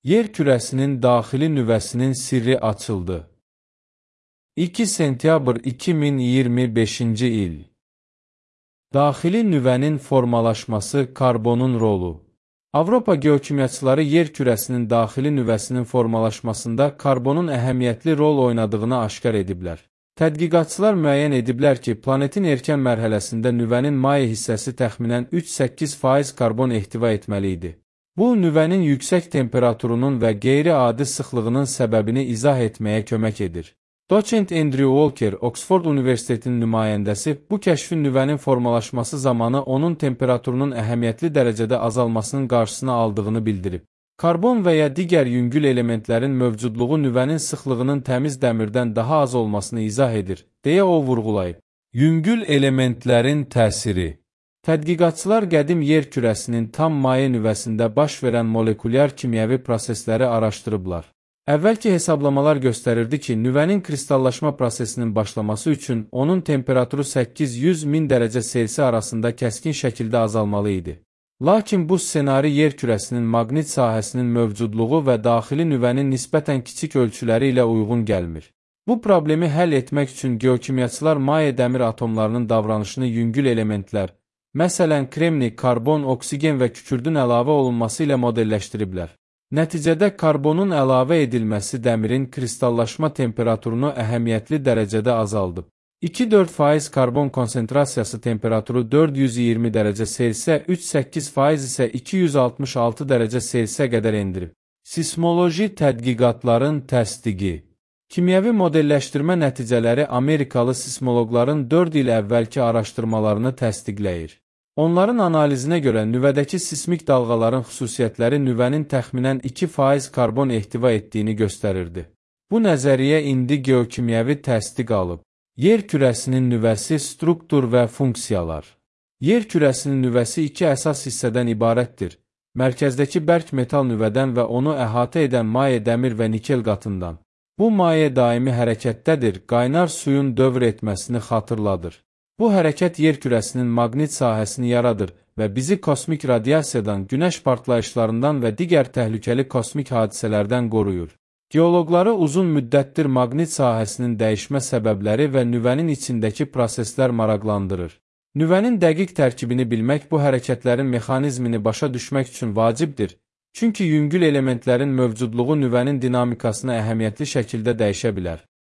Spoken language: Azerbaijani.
Yer kürəsinin daxili nüvəsinin sirri açıldı. 2 sentyabr 2025-ci il. Daxili nüvənin formalaşması, karbonun rolu. Avropa geokimyaçıları yer kürəsinin daxili nüvəsinin formalaşmasında karbonun əhəmiyyətli rol oynadığını aşkar ediblər. Tədqiqatçılar müəyyən ediblər ki, planetin erkən mərhələsində nüvənin maye hissəsi təxminən 3-8% karbon ehtiva etməli idi. Bu, nüvənin yüksək temperaturunun və qeyri-adi sıxlığının səbəbini izah etməyə kömək edir. Doçent Andrew Walker, Oxford Universitetinin nümayəndəsi, bu kəşfin nüvənin formalaşması zamanı onun temperaturunun əhəmiyyətli dərəcədə azalmasının qarşısını aldığını bildirib. Karbon və ya digər yüngül elementlərin mövcudluğu nüvənin sıxlığının təmiz dəmirdən daha az olmasını izah edir, deyə o vurğulayıb. Yüngül elementlərin təsiri. Tədqiqatçılar qədim yer kürəsinin tam maye nüvəsində baş verən molekulyar kimyəvi prosesləri araşdırıblar. Əvvəlki hesablamalar göstərirdi ki, nüvənin kristallaşma prosesinin başlaması üçün onun temperaturu 800-1000 dərəcə Selsi arasında kəskin şəkildə azalmalı idi. Lakin bu ssenari yer kürəsinin maqnit sahəsinin mövcudluğu və daxili nüvənin nisbətən kiçik ölçüləri ilə uyğun gəlmir. Bu problemi həll etmək üçün geokimyaçılar maye dəmir atomlarının davranışını yüngül elementlər, məsələn kremni, karbon, oksigen və kükürdün əlavə olunması ilə modelləşdiriblər. Nəticədə karbonun əlavə edilməsi dəmirin kristallaşma temperaturunu əhəmiyyətli dərəcədə azaldıb. 2-4% karbon konsentrasiyası temperaturu 420 dərəcə Selsiyə, 3-8% isə 266 dərəcə Selsiyə qədər endirib. Sismoloji tədqiqatların təsdiqi. Kimyəvi modelləşdirmə nəticələri Amerikalı sismoloqların 4 il əvvəlki araşdırmalarını təsdiqləyir. Onların analizinə görə nüvədəki sismik dalğaların xüsusiyyətləri nüvənin təxminən 2% karbon ehtiva etdiyini göstərirdi. Bu nəzəriyyə indi geokimyəvi təsdiq alıb. Yer kürəsinin nüvəsi, struktur və funksiyalar. Yer kürəsinin nüvəsi iki əsas hissədən ibarətdir. Mərkəzdəki bərk metal nüvədən və onu əhatə edən maye dəmir və nikel qatından. Bu maye daimi hərəkətdədir, qaynar suyun dövr etməsini xatırladır. Bu hərəkət yer kürəsinin maqnit sahəsini yaradır və bizi kosmik radiasiyadan, günəş partlayışlarından və digər təhlükəli kosmik hadisələrdən qoruyur. Geoloqları uzun müddətdir maqnit sahəsinin dəyişmə səbəbləri və nüvənin içindəki proseslər maraqlandırır. Nüvənin dəqiq tərkibini bilmək bu hərəkətlərin mexanizmini başa düşmək üçün vacibdir, çünki yüngül elementlərin mövcudluğu nüvənin dinamikasını əhəmiyyətli şəkildə dəyişə bilər.